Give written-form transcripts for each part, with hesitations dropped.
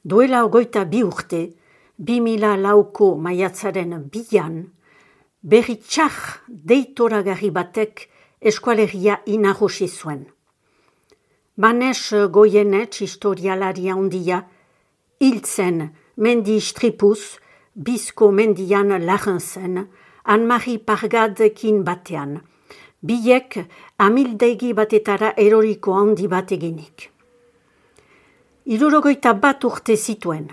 Duela 22 urte, 2004ko maiatzaren 2an, berri txar deitoragarri batek eskualegia inagosi zuen. Manes Goyenetx historialaria handia, hiltzen mendi istripuz, bizko mendian lagen zen, Anne-Marie Pargadekin batean, biek amildegi batetara eroriko handi bat eginik. 61 urte zituen,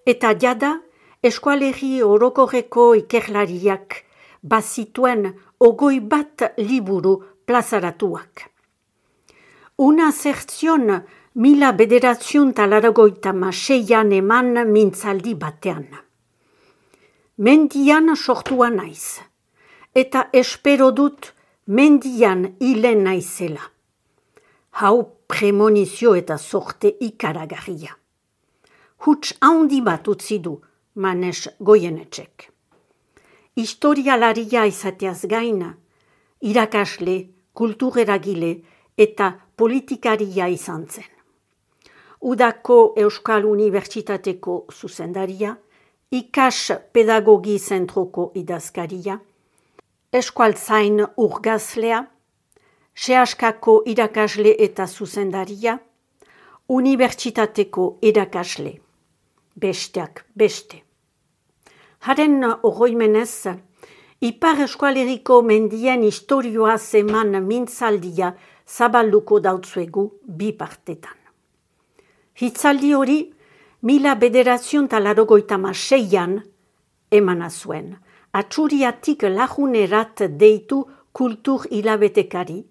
eta jada eskualegi orokorreko ikerlariak bazituen 21 liburu plazaratuak. Una zertzion 1986an eman mintzaldi batean. Mendian sortua naiz, eta espero dut mendian hilen naizela. Hau premonizio eta sorte ikaragarria. Huts handi bat utzi du Manes Goyenetxek. Historialaria izateaz gaina, irakasle, kultureragile eta politikaria izan zen. Udako Euskal Unibertsitateko zuzendaria, ikas pedagogi zentroko idazkaria, eskualtzain urgazlea, sehaskako irakasle eta zuzendaria, unibertsitateko irakasle, besteak beste. Haren oroimenez, Ipar Eskualeriko mendien istorioa zeman mintzaldia zabalduko dautzuegu bi partetan. Hitzaldi hori 1986an emana zuen, Atxuriatik lagunerat deitu kultur hilabetekari,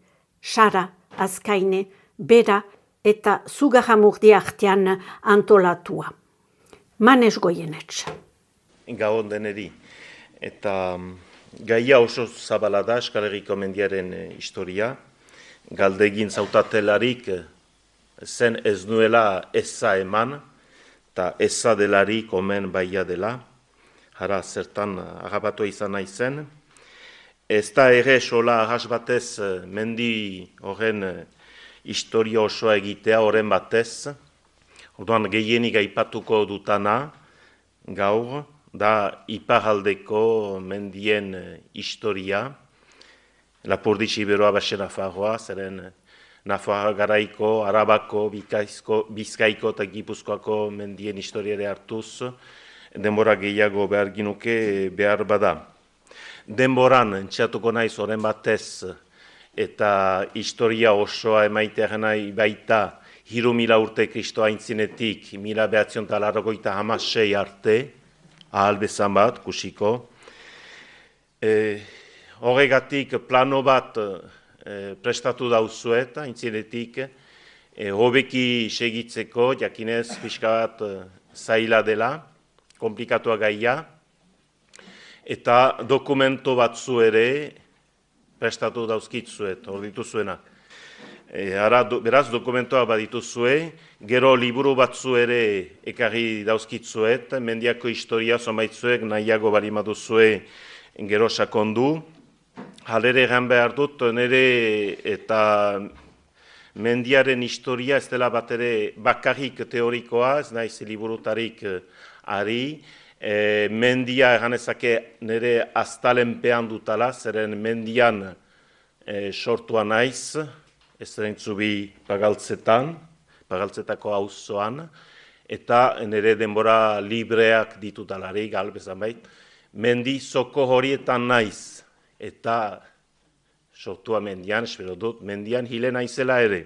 Sara, Azkaine, Bera eta Zugarramurdi artean antolatua. Manes Goyenetx. Gabon deneri. Eta gaia oso zabala da Euskal Herriko mendiaren historia. Galdegin zautatelarik zen ez nuela eza eman, eta eza delarik omen baia dela. Hara zertan agabatu izan nahi zen. Ez da ere sola ahas batez mendi horren historia osoa egitea horren batez. Orduan gehienik aipatuko dutana gaur da iparraldeko mendien historia. Lapurdi Iberoa baxe Nafarroa, zeren Nafarroa garaiko, Arabako, Bizkaiko eta Gipuzkoako mendien historiare hartuz, denbora gehiago behar ginuke behar bada. Denboran entxatuko naiz horren batez eta historia osoa emaitea nahi baita 3000 urte Kristo aintzinetik 1986 arte, ahal bezan bat, kusiko. Horregatik plano bat prestatu dauzuet, aintzinetik, hobeki segitzeko, jakinez pixka bat zaila dela, komplikatua gaia, eta dokumento batzu ere prestatu dauzkitzuet, hor dituzuenak. Beraz, dokumentoa badituzue, gero liburu batzu ere ekarri dauzkitzuet, mendiako historia zomaitzuek nahiago balimaduzue gero sakondu. Halere egan behar dut, nire eta mendiaren historia ez dela bat ere bakarrik teorikoa, ez naiz liburutarik ari. Mendia eganezake nire aztalenpean dutala, zeren mendian sortua naiz, ez zerentzubi Pagaltzetako auzoan, eta nire denbora libreak ditutalarik, galbezan bait, mendi zoko horietan naiz. Eta sortua mendian, espero dut, mendian hile naizela ere.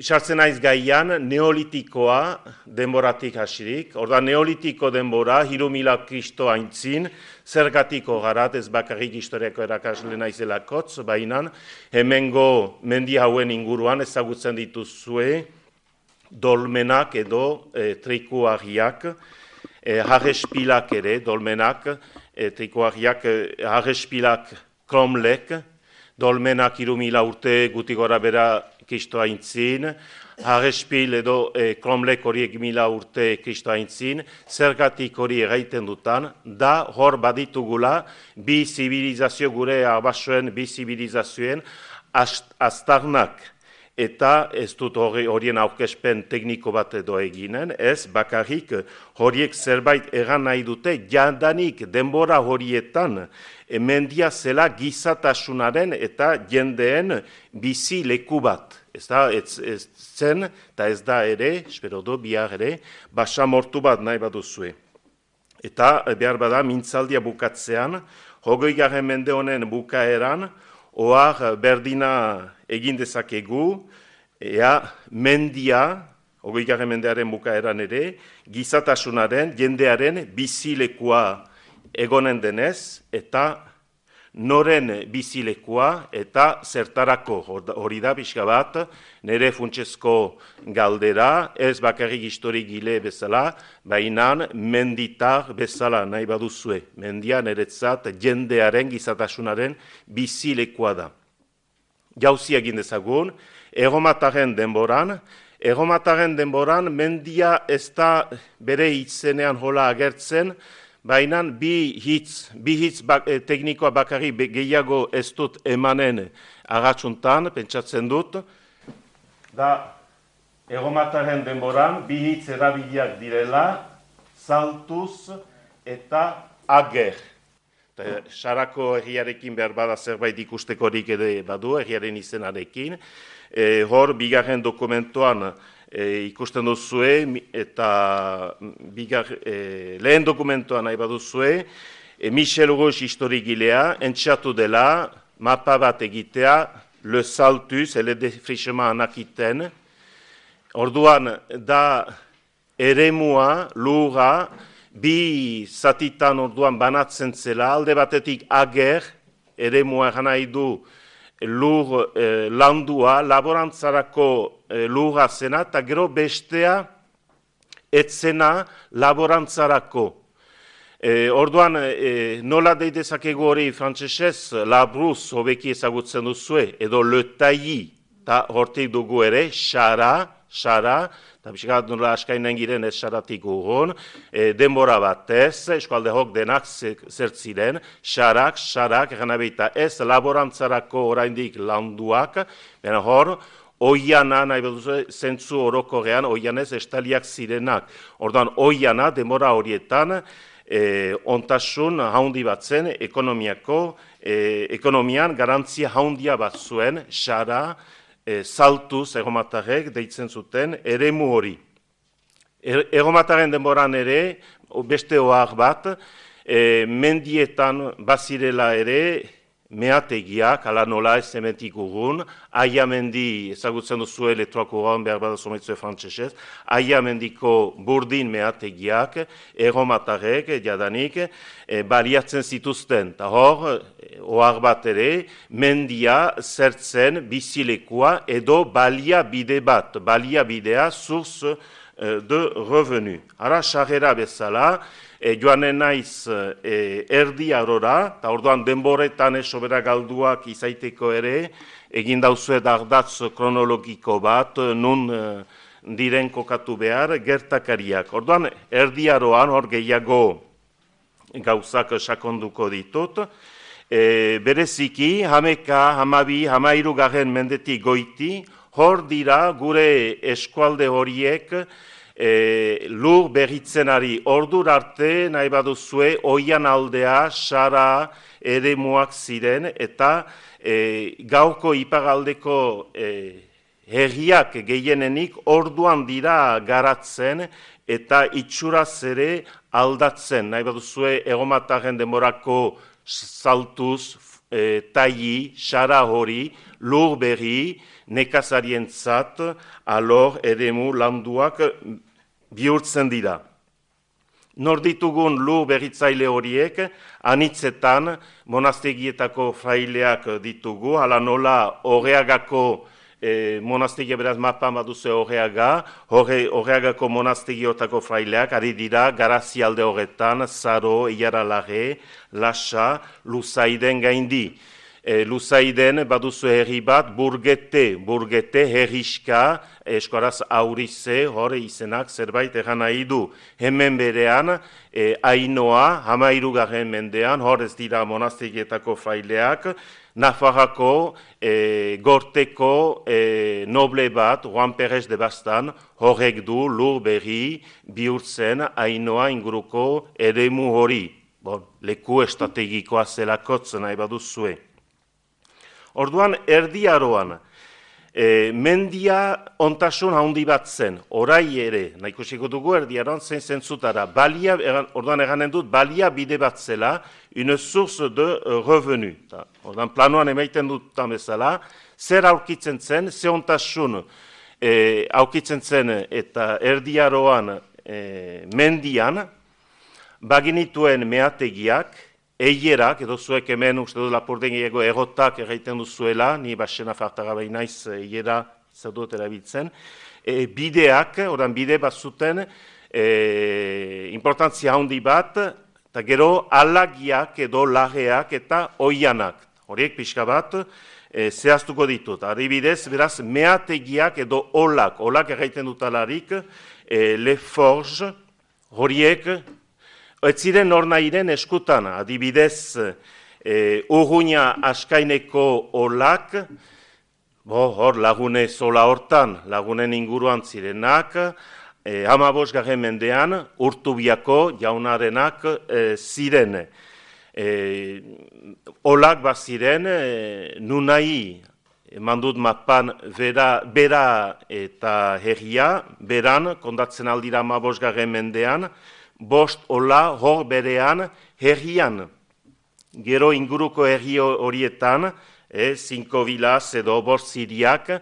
Sartzen naiz gaian, neolitikoa denboratik hasirik. Orda neolitiko denbora, 3000 Kristo aintzin, zergatiko garat, ez bakarrik historiako erakasle naizelakotz, baina hemengo mendi hauen inguruan ezagutzen dituzue dolmenak edo trikuarriak, harrespilak ere, dolmenak, trikuarriak, harrespilak kromlek, dolmenak 3000 urte guti gora bera Kristo aintzin, harrespil edo kromlek horiek 1000 urte Kristo aintzin, zergatik hori erraiten dutan, da hor baditugula bi zibilizazio gure arbasoen, bi zibilizazioen aztarnak eta ez dut horien aurkezpen tekniko bat edo eginen, ez bakarrik horiek zerbait egan nahi dute, jadanik denbora horietan mendia zela gizatasunaren eta jendeen bizi leku bat. Ez zen, eta ez da ere, espero do, bihar ere, basamortu bat nahi baduzue. Eta behar bada mintzaldia bukatzean, 20. mende honen bukaeran, ohar berdina egin dezakegu, mendia, 20. mendearen bukaeran ere, gizatasunaren, jendearen bizilekua egonen denez, eta noren bizilekua eta zertarako hori da pixka bat, nire funtsezko galdera, ez bakarrik historigile bezala, baina menditar bezala nahi baduzue. Mendia niretzat jendearen gizatasunaren bizilekua da. Jauzi egin dezagun, erromataren denboran mendia ez da bere hitzenean hola agertzen, baina bi hitz teknikoa bakarri gehiago ez dut emanen agatsuntan, pentsatzen dut, da erromataren denboran bi hitz erabiliak direla, saltuz eta ager. Sarako herriarekin behar bada zerbait ikustekorik ere badu, herriaren izenarekin. Hor, bigarren dokumentuan ikusten duzue, eta lehen dokumentuan nahi baduzue, Michel Rouge historigilea, entxatu dela, mapa bat egitea, le saltus, le defrichement anakiten. Orduan, da eremua, lura, bi zatitan orduan banatzen zela, alde batetik ager, eremua nahi du lur landua, laborantzarako lurra zena, eta gero bestea etzena laborantzarako. Orduan, nola deidezakegu hori frantsesez, labruz hobeki ezagutzen duzue, edo le tailli, eta hortik dugu ere, xara, eta pixkat nola askainen giren ez xaratik urgun, denbora batez, eskualde hok denak zertziren, xarak, egan abeita ez laborantzarako oraindik landuak, baina hor, oiana, nahi beduzu, zentzu orokorrean, oianez estaliak zirenak. Orduan, oiana, denbora horietan, ontasun haundi bat zen, ekonomian garantzia haundia bat zuen, xara, saltuz erromatarrek deitzen zuten eremu hori. Erromataren denboran ere, beste ohar bat, mendietan bazirela ere meategiak, ala nola ez zementik urgun, aia mendi, ezagutzen duzue letroako gaun behar bada sometzue frantsesez, aia mendiko burdin meategiak, erromatarrek, jadanik, baliatzen zituzten. Ta hor, ohar bat ere, mendia zertzen bizilekua edo baliabide bat, baliabidea source de revenu. Ara, sarrera bezala, joanen naiz erdi arora, eta orduan denboretan sobera galduak izaiteko ere, egin dauzuet ardatz kronologiko bat, nun diren kokatu behar, gertakariak. Orduan, erdi aroan, hor gehiago gauzak sakonduko ditut, bereziki, 12, mendetik goiti, hor dira gure eskualde horiek, lur berritzenari ordur arte nahi baduzue oian aldea, xara, eremuak ziren eta gaurko iparaldeko herriak gehienenik orduan dira garatzen eta itxuraz ere aldatzen. Nahi baduzue erromataren denborako saltuz, tailli, xara hori, lur berri, nekazarientzat, alor eremu landuak bihurtzen dira. Nor ditugun lur berritzaile horiek, anitzetan monastegietako fraileak ditugu, hala nola Horreagako monastegia beraz mapan baduze Horreagako monastegiotako fraileak, ari dira Garazialde horretan, Zaro, Iaralare, Lasa, Luzaiden gaindi. Luzaiden baduzu herri bat, burgete, herriska, eskoraz aurize, hor izenak zerbait egan nahi du. Hemen berean, Ainoa, 13. mendean, hor ez dira monastegietako fraileak, Nafarrako gorteko noble bat, Juan Pérez de Bastan, horrek du lur berri bihurtzen Ainoa inguruko eremu hori. Bon, leku estrategikoa zelakotzen nahi baduzue. Orduan, Erdi Aroan, mendia ontasun handi bat zen, orai ere, nahikusiko dugu Erdi Aroan zein zentzutara, orduan eganen dut, balia bide bat zela, une source de revenu. Orduan, planoan emaiten dutan bezala, zer aurkitzen zen, ze ontasun aurkitzen zen eta Erdi Aroan mendian, baginituen meategiak, eierak, edo zuek hemen uste dut Lapurdiego egotak egiten duzuela, ni basena fartaga behin naiz eiera zaudut erabiltzen, bideak, oran bide bat zuten, importantzia handi bat, eta gero alagiak edo lageak eta oianak. Horiek pixka bat zehaztuko ditut. Adibidez, beraz, meategiak edo olak egiten dutalarik, le forge, horiek, ez ziren nornairen eskutan, adibidez, Urruña askaineko olak, hor lagune zola hortan, lagunen inguruan zirenak, 15. mendean Urtubiako jaunarenak ziren. Olak baziren, nunai, eman dut mapan bera eta herria, beran, kondatzen aldira 15. mendean, 5 ola hor berean herrian. Gero inguruko herri horietan, 5 vilaz edo 5 ziriak,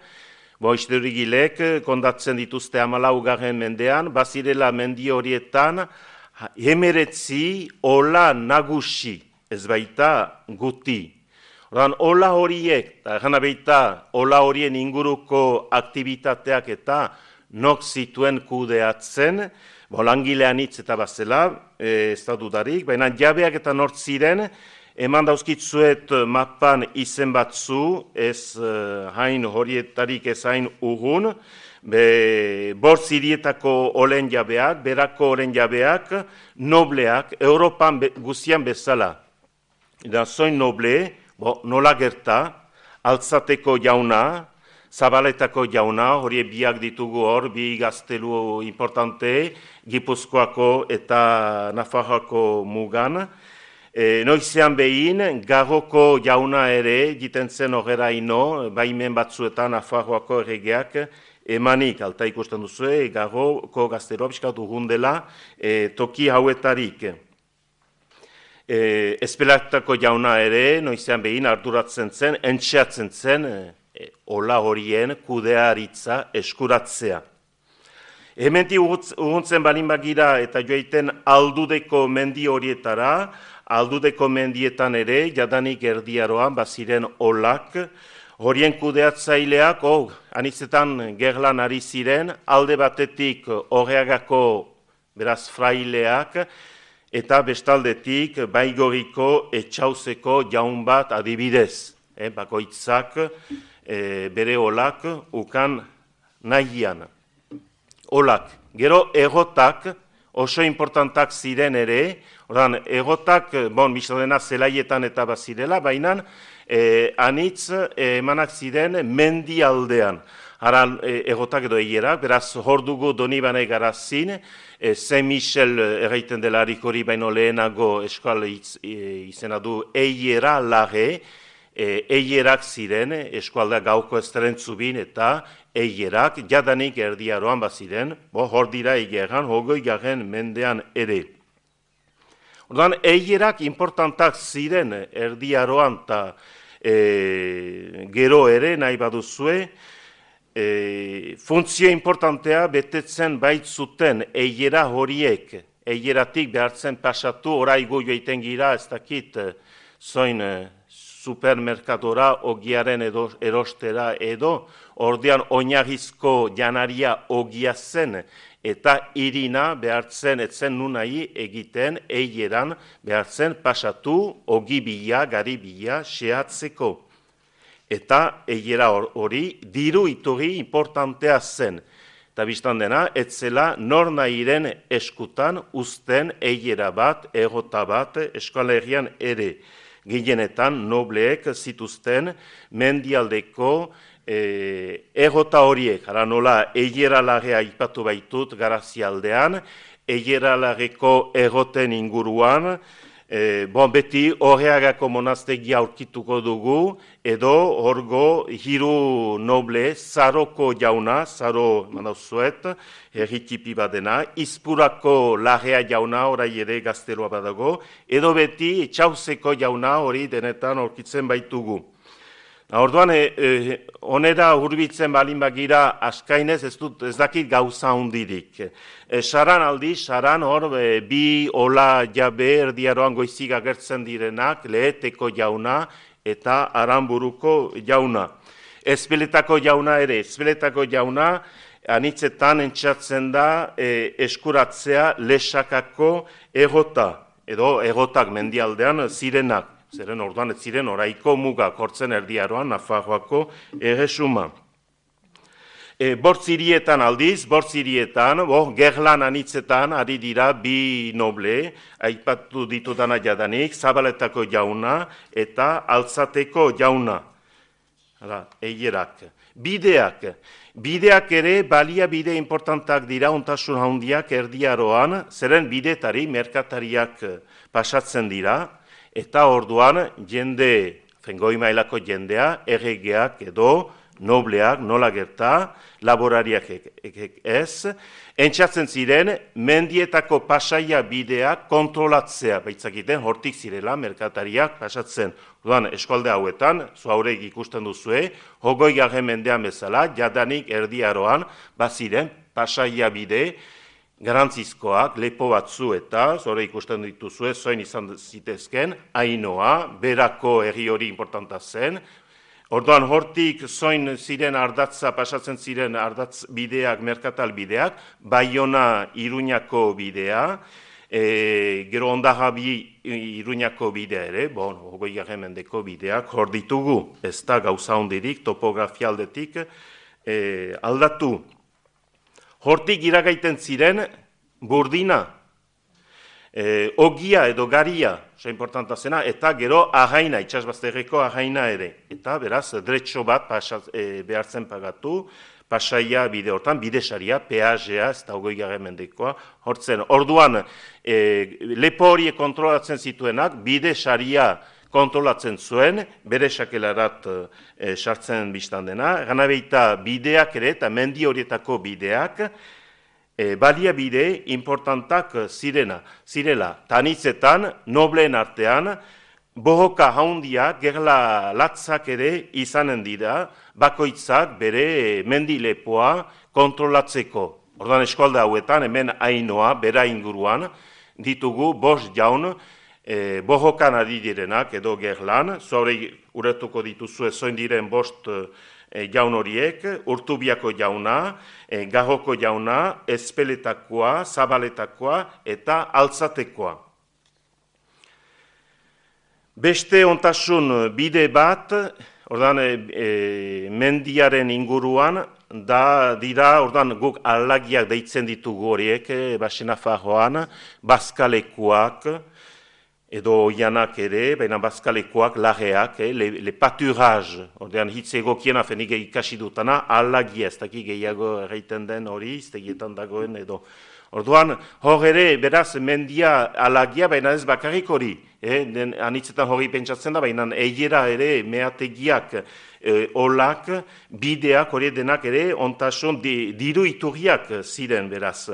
historigilek kondatzen dituzte 14. mendean, bazirela mendi horietan 19 ola nagusi, ez baita guti. Ordan, ola horiek, eta gana baita ola horien inguruko aktivitateak eta nok zituen kudeatzen, langilean hitz eta bazela, ez da dudarik, baina jabeak eta nort ziren, eman dauzkitzuet mapan izen batzu, ez hain horietarik ez hain urrun, 5 hirietako olen jabeak, berako olen jabeak, nobleak, Europan guztian bezala. Eta zoin noble, nola gerta, Altzateko jauna, Zabaletako jauna, hori biak ditugu hor, bi gaztelu importante, Gipuzkoako eta Nafarroako mugan. Noizean behin, Garroko jauna ere, jiten zen horrela ino, baimen batzuetan Nafarroako erregeak, emanik, alta ikusten duzue, Garroko gazteloa biskatu gundela, toki hauetarik. Espelatako jauna ere, noizean behin, arduratzen zen, entxeatzen zen, ola horien kudearitza eskuratzea. Hementi urruntzen balin bagira eta joaiten Aldudeko mendi horietara, Aldudeko mendietan ere, jadanik Erdi Aroan baziren olak, horien kudeatzaileak, anitzetan gerlan ari ziren, alde batetik Horreagako, beraz, fraileak, eta bestaldetik Baigoriko etxauzeko jaun bat adibidez, bakoitzak, bere olak ukan nahian. Olak, gero egotak oso importantak ziren ere, egotak, misodena zelaietan eta bazirela, baina anitz emanak ziren mendi aldean. Hara egotak edo eierak, beraz hor dugu Donibane Garazin, Saint Michel erraiten delarik hori baino lehenago eskal izena du eiera lage, eierak ziren, eskualdea gauko estrentzubin eta eierak, jadanik Erdi Aroan baziren, hor dira eieran, 20. mendean ere. Orduan, eierak importantak ziren Erdi Aroan eta gero ere nahi baduzue, funtzio importantea betetzen baitzuten eiera horiek, eieratik behartzen pasatu, oraigo joiten gira, ez dakit, zoin supermerkadora ogiaren erostera edo, ordean oinarrizko janaria ogia zen, eta irina behartzen etzen nunai egiten eieran behartzen pasatu ogi bila, gari bila, xehatzeko. Eta eiera hori diru iturri importantea zen. Eta biztan dena, etzela nornairen eskutan uzten eiera bat, egota bat, Euskal Herrian ere. gehienetan nobleek zituzten mendialdeko egota horiek, ara nola Eieralagea aipatu baitut Garazialdean, Eieralageko egoten inguruan, beti Horreagako monastegia aurkituko dugu, edo horgo hiru noble, Zaroko jauna, Zaro manauzuet, herritipi badena, Izpurako Larrea jauna, orai ere gazteroa badago, edo beti Txauzeko jauna hori denetan aurkitzen baitugu. Orduan, onera hurbitzen balin bagira askainez ez dakit gauza hundirik. Saran aldi, saran hor bi ola jabe erdiaroan goizik agertzen direnak, Leheteko jauna eta Aranburuko jauna. Ezpeletako jauna ere, Ezpeletako jauna anitzetan entxatzen da eskuratzea Lesakako egota, edo egotak mendialdean zirenak. Zeren orduan ez ziren oraiko mugak hortzen erdiaroan Nafarroako erresuma. Bortzirietan aldiz, gerlan anitzetan ari dira bi noble, aipatu ditudana jadanik, Zabaletako jauna eta Altzateko jauna. Eierak. Bideak ere baliabide importantak dira ontasun handiak erdiaroan, zeren bidetari merkatariak pasatzen dira, eta orduan jende, goi mailako jendea, erregeak edo nobleak nola gerta, laborariak ez, entxatzen ziren mendietako pasaia bideak kontrolatzea, baitzakiten hortik zirela merkatariak pasatzen. Orduan eskualde hauetan, zuaurek ikusten duzue, 20. mendean bezala, jadanik erdiaroan, baziren pasaia bide, garantzizkoak, lepo batzu eta, zore ikusten dituzue, zoin izan zitezken, Ainoa, berako herri hori importanta zen. Orduan hortik zoin ziren ardatza, pasatzen ziren ardatz bideak, merkatal bideak, Baiona Iruñako bidea, gero Ondarrabi Iruñako bidea ere, 20. mendeko bideak hor ditugu, ez da gauza hondirik, topografia aldetik aldatu. Hortik iragaiten ziren Burdina, Ogia edo Garia, importanta zena, eta gero Arraina, itxasbazterreko Arraina ere. Eta beraz, dretxo bat behartzen pagatu, pasaia bide hortan, bidesaria, peajea, ez da 20. mendekoa, hortzen. Orduan, lepo horiek kontrolatzen zituenak, bidesaria kontrolatzen zuen, bere sakelarat sartzen biztan dena, ganabeita bideak ere eta mendi horietako bideak, baliabide importantak zirela. Tanitzetan, nobleen artean, bohoka haundia, gerla latzak ere izanen dira, bakoitzak bere mendilepoa kontrolatzeko. Orduan eskualde hauetan, hemen Ainoa, bera inguruan, ditugu 5 jaun, bohokan ari direnak edo gerlan, zuaure uretuko dituzue zoin diren 5 jaun horiek, Urtubiako jauna, Garroko jauna, Ezpeletakoa, Zabaletakoa eta Altzatekoa. Beste ontasun bide bat, ordan mendiaren inguruan, dira, ordan guk alagiak deitzen ditugu horiek, Baxenafarroan, Bazkalekuak, edo oianak ere, baina bazkalekoak, lageak, le pâturage, ordean hitz egokiena fenik ikasi dutana, alagia, ez daki gehiago erraiten den hori, iztegietan dagoen edo. Orduan, hor ere, beraz, mendia alagia, baina ez bakarrik hori, anitzetan hori pentsatzen da, baina eiera ere, meategiak, olak, bideak, hori denak ere, ontasun, diru iturriak ziren, beraz.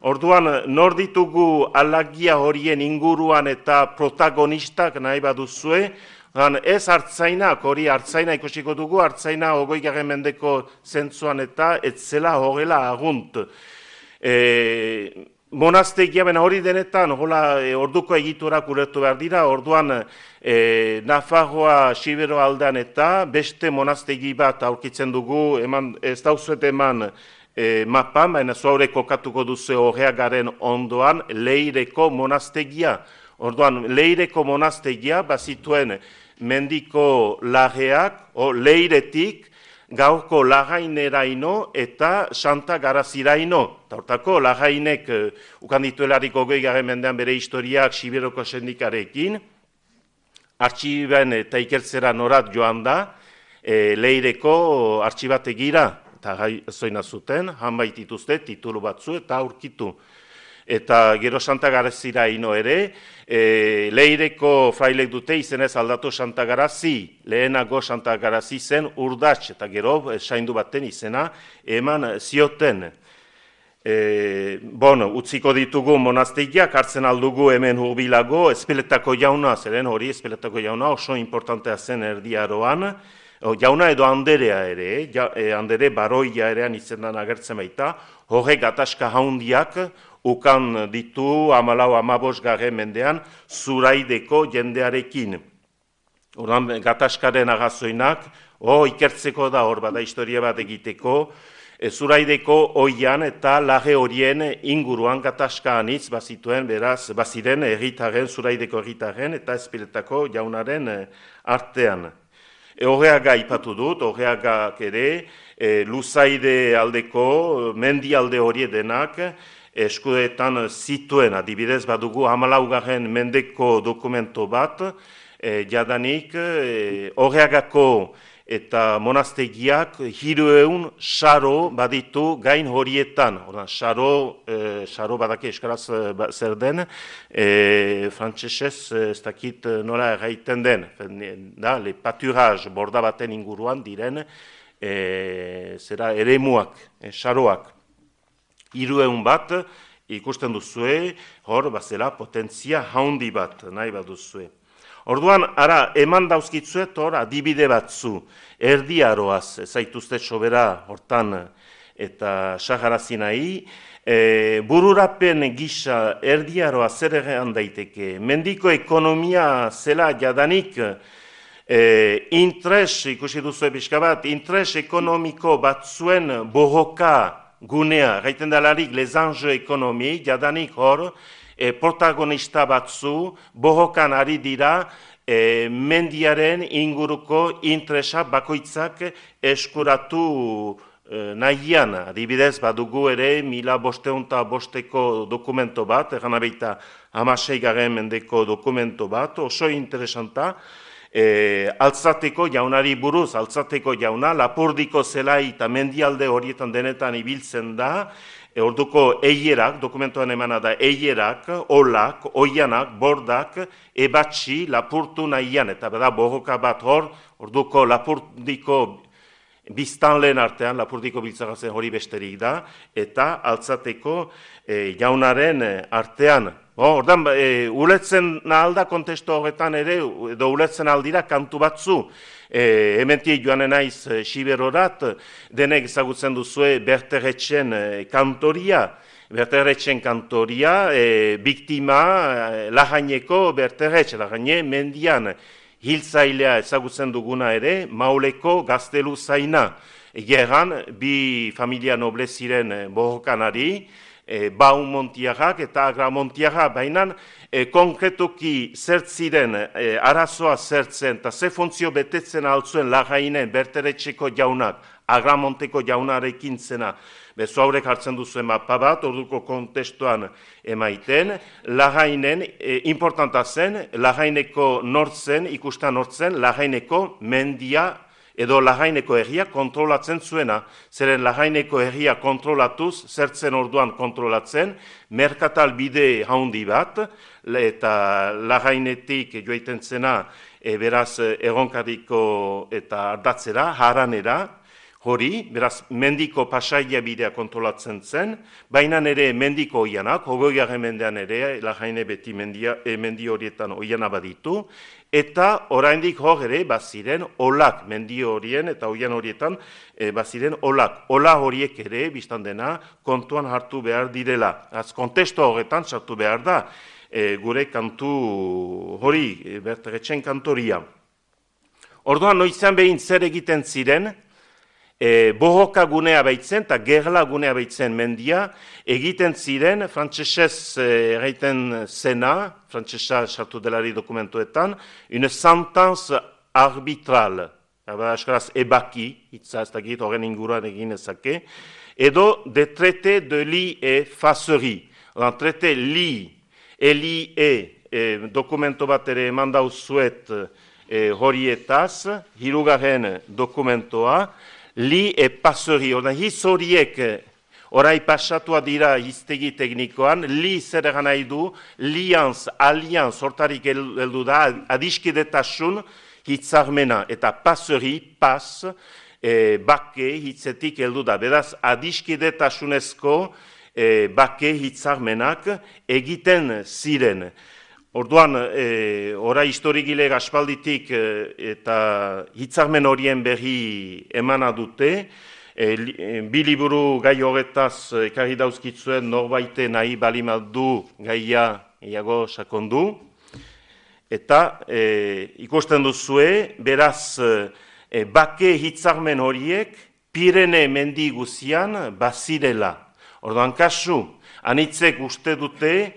Orduan, nor ditugu alagia horien inguruan eta protagonistak nahi baduzue, ez hartzainak, hori hartzaina ikusiko dugu, hartzaina 20. mendeko zentzuan eta ez zela horrela agunt. Monastegia, bena hori denetan, orduko egiturak ulertu behar dira, orduan Nafarroa Xibero aldean eta beste monastegi bat aurkitzen dugu, ez dauzuet eman, mapan, baina zuaure kokatuko duzu Horreagaren ondoan Leireko monastegia. Orduan, Leireko monastegia bazituen mendiko lageak, Leiretik, gaurko lagaineraino eta Santa Garaziraino. Hortako, lagainek ukandituelarik 20. mendean bere historiak Siberoko sendikarekin, artxiben eta ikertzera norat joan da, Leireko artxibategira, eta zoina zuten, hanbait dituzte, titulu batzu eta aurkitu. Eta gero Santa Garazira ino ere, Leireko frailek dute izenez aldatu Santa Garazi, lehenago Santa Garazi zen urdatx, eta gero saindu baten izena eman zioten. Utziko ditugu monastegiak, hartzen aldugu hemen hurbilago, Ezpeletako jauna, zeren hori Ezpeletako jauna oso importantea zen Erdi Aroan, jauna edo Anderea ere, Andere Baroia erean izendan agertzen baita, horrek gatazka haundiak ukan ditu 14-15 mendean Zuraideko jendearekin. Ordan gatazkaren agazoinak, ikertzeko da hor bada historia bat egiteko, Zuraideko oian eta lage horien inguruan gatazka anitz bazituen, beraz, baziren erritaren, Zuraideko erritaren eta Ezpeletako jaunaren artean. Horreaga ipatu dut, horreagak ere, Luzaide aldeko, mendi alde hori denak, eskudetan zituen, adibidez badugu 14. mendeko dokumento bat, jadanik horreagako eta monastegiak 300 saro baditu gain horietan. Saro badaki eskaraz zer den, frantsesez ez dakit nola erraiten den, da, le pâturage borda baten inguruan diren eremuak, saroak. 300 bat ikusten duzue, hor bazela potentzia haundi bat nahi baduzue. Orduan, ara, eman dauzkitzuet hor adibide batzu, Erdi Aroaz, zaituzte sobera hortan eta Saharazi nahi, bururapen gisa Erdi Aroa zer egan daiteke, mendiko ekonomia zela jadanik, ikusi duzu pixka bat, interes ekonomiko batzuen bohoka gunea, gaiten dalarik les enjeux ekonomi, jadanik hor, protagonista batzu bohokan ari dira mendiaren inguruko interesa bakoitzak eskuratu nahian. Adibidez badugu ere 1505 dokumento bat, egan abeita 16. mendeko dokumento bat, oso interesanta, Altzateko jaunari buruz, Altzateko jauna, Lapurdiko zelai eta mendialde horietan denetan ibiltzen da, orduko eierak, dokumentoan emana da eierak, olak, oianak, bordak, ebatxi, lapurtu nahian, eta bada bohoka bat hor, orduko Lapurdiko biztanleen artean, Lapurdiko biltzagazen hori besterik da, eta Altzateko jaunaren artean. Ordan, uletzen nahalda kontestu horretan ere, edo uletzen aldira kantu batzu, hementik joanen naiz Siberorat, denek ezagutzen duzue Berteretxen kantoria, biktima Lajaineko Berteretx, Lajaine mendian hiltzailea ezagutzen duguna ere, Mauleko gaztelu zaina, gerran bi familia noble ziren bohokanari, Baumontiagak eta Agramontiagak, baina konkretuki zertziren arazoa zertzen eta ze funtzio betetzen altzuen Lajainen Berteretxeko jaunak, Agramonteko jaunarekin zena, bezu haurek hartzen duzuen mapa bat, orduko kontestuan emaiten, Lajainen, importanta zen, Lajaineko nortzen, ikusten nortzen, Lajaineko mendia edo Lajaineko herria kontrolatzen zuena. Zeren Lajaineko herria kontrolatuz, zertzen orduan kontrolatzen, merkatal bide haundi bat, eta Lajainetik joaiten zena, beraz, Erronkariko eta Ardatzera, Haranera, hori, beraz, mendiko pasaia bidea kontrolatzen zen, baina ere mendiko oianak, 20. mendean ere, Lajaine beti mendi horietan oiana baditu, eta oraindik hor ere baziren olak, mendi horien eta oian horietan baziren olak. Ola horiek ere, biztan dena, kontuan hartu behar direla. Az kontestu horretan sartu behar da, gure kantu hori, Berteretxen kantoria. Orduan, noizan behin zer egiten ziren, bohoka gunea baitzen eta gerla gunea baitzen mendia, egiten ziren, frantsesez egiten zena, frantsesa sartu delari dokumentuetan, une sentence arbitrale, eskaraz ebaki, hitza ez dakit horren inguruan egin ezake, edo de traité de li et facerie. Traité li, eli dokumento bat ere eman dauzuet horietaz, hirugarren dokumentoa, li pasori, hitz horiek orai pasatua dira hiztegi teknikoan, li zer egan nahi du, lianz, alianz, hortarik heldu da, adiskidetasun hitzarmena, eta pasori, pas, bake hitzetik heldu da. Beraz, adiskidetasunezko bake hitzarmenak egiten ziren. Orduan, ora historigile aspalditik eta hitzarmen horien berri emana dute, bi liburu gai horretaz ekarri dauzkitzuen norbaite nahi balimadu gaia iago sakondu. Eta ikusten duzue, beraz, bake hitzarmen horiek Pirene mendi guzian bazirela. Orduan kasu, anitzek uste dute,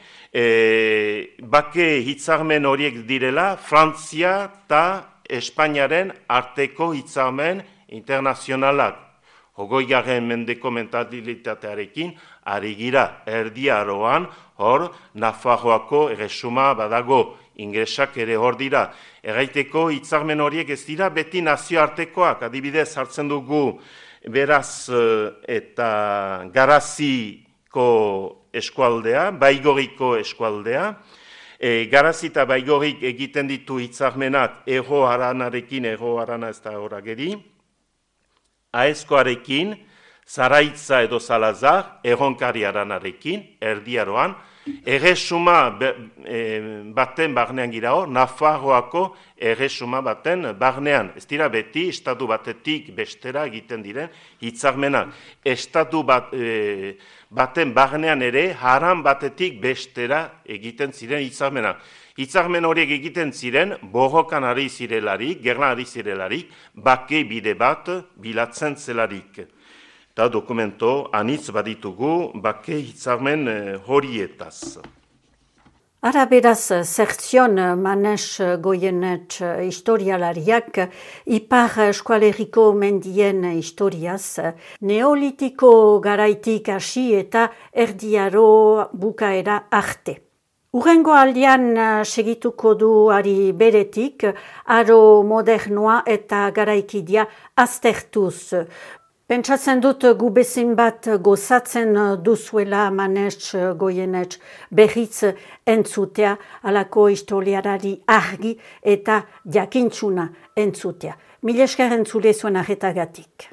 bake hitzarmen horiek direla Frantzia eta Espainiaren arteko hitzarmen internazionalak. 20. mendeko mentalitatearekin ari gira Erdi Aroan, hor Nafarroako erresuma badago, ingresak ere hor dira. Erraiteko hitzarmen horiek ez dira beti nazioartekoak, adibidez hartzen dugu beraz eta Garaziko eskualdea, Baigoriko eskualdea. Garazi eta Baigorik egiten ditu hitzarmenak Ego Haranarekin, Ego Harana ez da horageri, Aezkoarekin, Zaraitza edo Salazar, Erronkari Haranarekin, Erdi Aroan, erresuma baten barnean gira hor, Nafarroako erresuma baten barnean. Ez dira beti, estatu batetik bestera egiten diren hitzarmenak. Estatu baten barnean ere, haran batetik bestera egiten ziren hitzarmenak. Hitzarmen horiek egiten ziren, borrokan ari zirelarik, gerlan ari zirelarik, bake bide bat bilatzen zelarik. Eta dokumento anitz baditugu bake hitzarmen horietaz. Ara beraz, Zertzion Manes Goyenet historialariak Ipar Eskualeriko mendien historiaz, neolitiko garaitik hasi eta Erdi Aro bukaera arte. Urrengo aldian segituko du ari beretik, aro modernoa eta garaikidia aztertuz. Pentsatzen dut gu bezin bat gozatzen duzuela Manes Goyenet berriz entzutea, alako historiarari argi eta jakintsuna entzutea. Mil esker entzule zuen arretagatik.